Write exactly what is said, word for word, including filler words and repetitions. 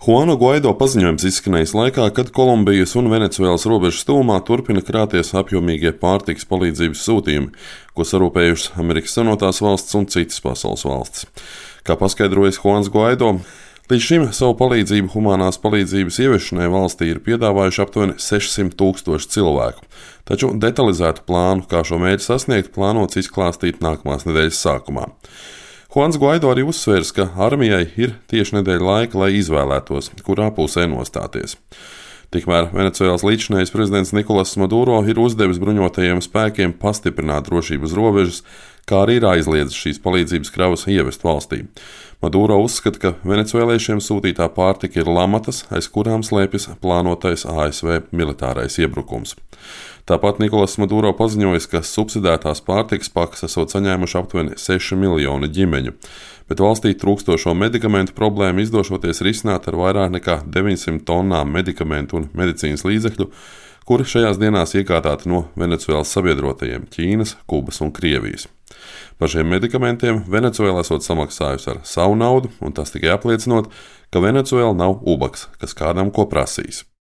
Juana Guaido paziņojums izskanējis laikā, kad Kolumbijas un Venecuēlas robežas tuvumā turpina krāties apjomīgie pārtikas palīdzības sūtījumi, ko sarūpējušas Amerikas Savienotās valstis un citas pasaules valstis. Kā paskaidrojas Juans Guaido, līdz šim savu palīdzību humanās palīdzības ieviešanai valstī ir piedāvājuši aptuveni sešsimt tūkstoši cilvēku, taču detalizētu plānu, kā šo mērķi sasniegt, plānots izklāstīt nākamās nedēļas sākumā. Juans Guaido arī uzsvērs, ka armijai ir tieši nedēļa laika, lai izvēlētos, kurā pusē nostāties. Tikmēr Venecuēlas līdzinājais prezidents Nikolas Maduro ir uzdevis bruņotajiem spēkiem pastiprināt drošību uz robežas, kā arī ir aizliedzis šīs palīdzības kravas ievest valstī. Maduro uzskata, ka venecuēliešiem sūtītā pārtika ir lamatas, aiz kurām slēpjas plānotais A S V militārais iebrukums. Tāpat Nikolas Maduro paziņoja, ka subsidētās pārtikas pakas esot saņēmuši aptuveni seši miljoni ģimeņu, bet valstī trūkstošo medikamentu problēmu izdošoties risināt ar vairāk nekā deviņsimt tonnām medikamentu un medicīnas līdzekļu, kuri šajās dienās iegādāti no Venecuēlas sabiedrotajiem Ķīnas, Kubas un Krievijas. Par šiem medikamentiem Venecuēla esot samaksājusi ar savu naudu, un tas tikai apliecinot, ka Venecuēla nav ubaks, kas kādam ko prasīs.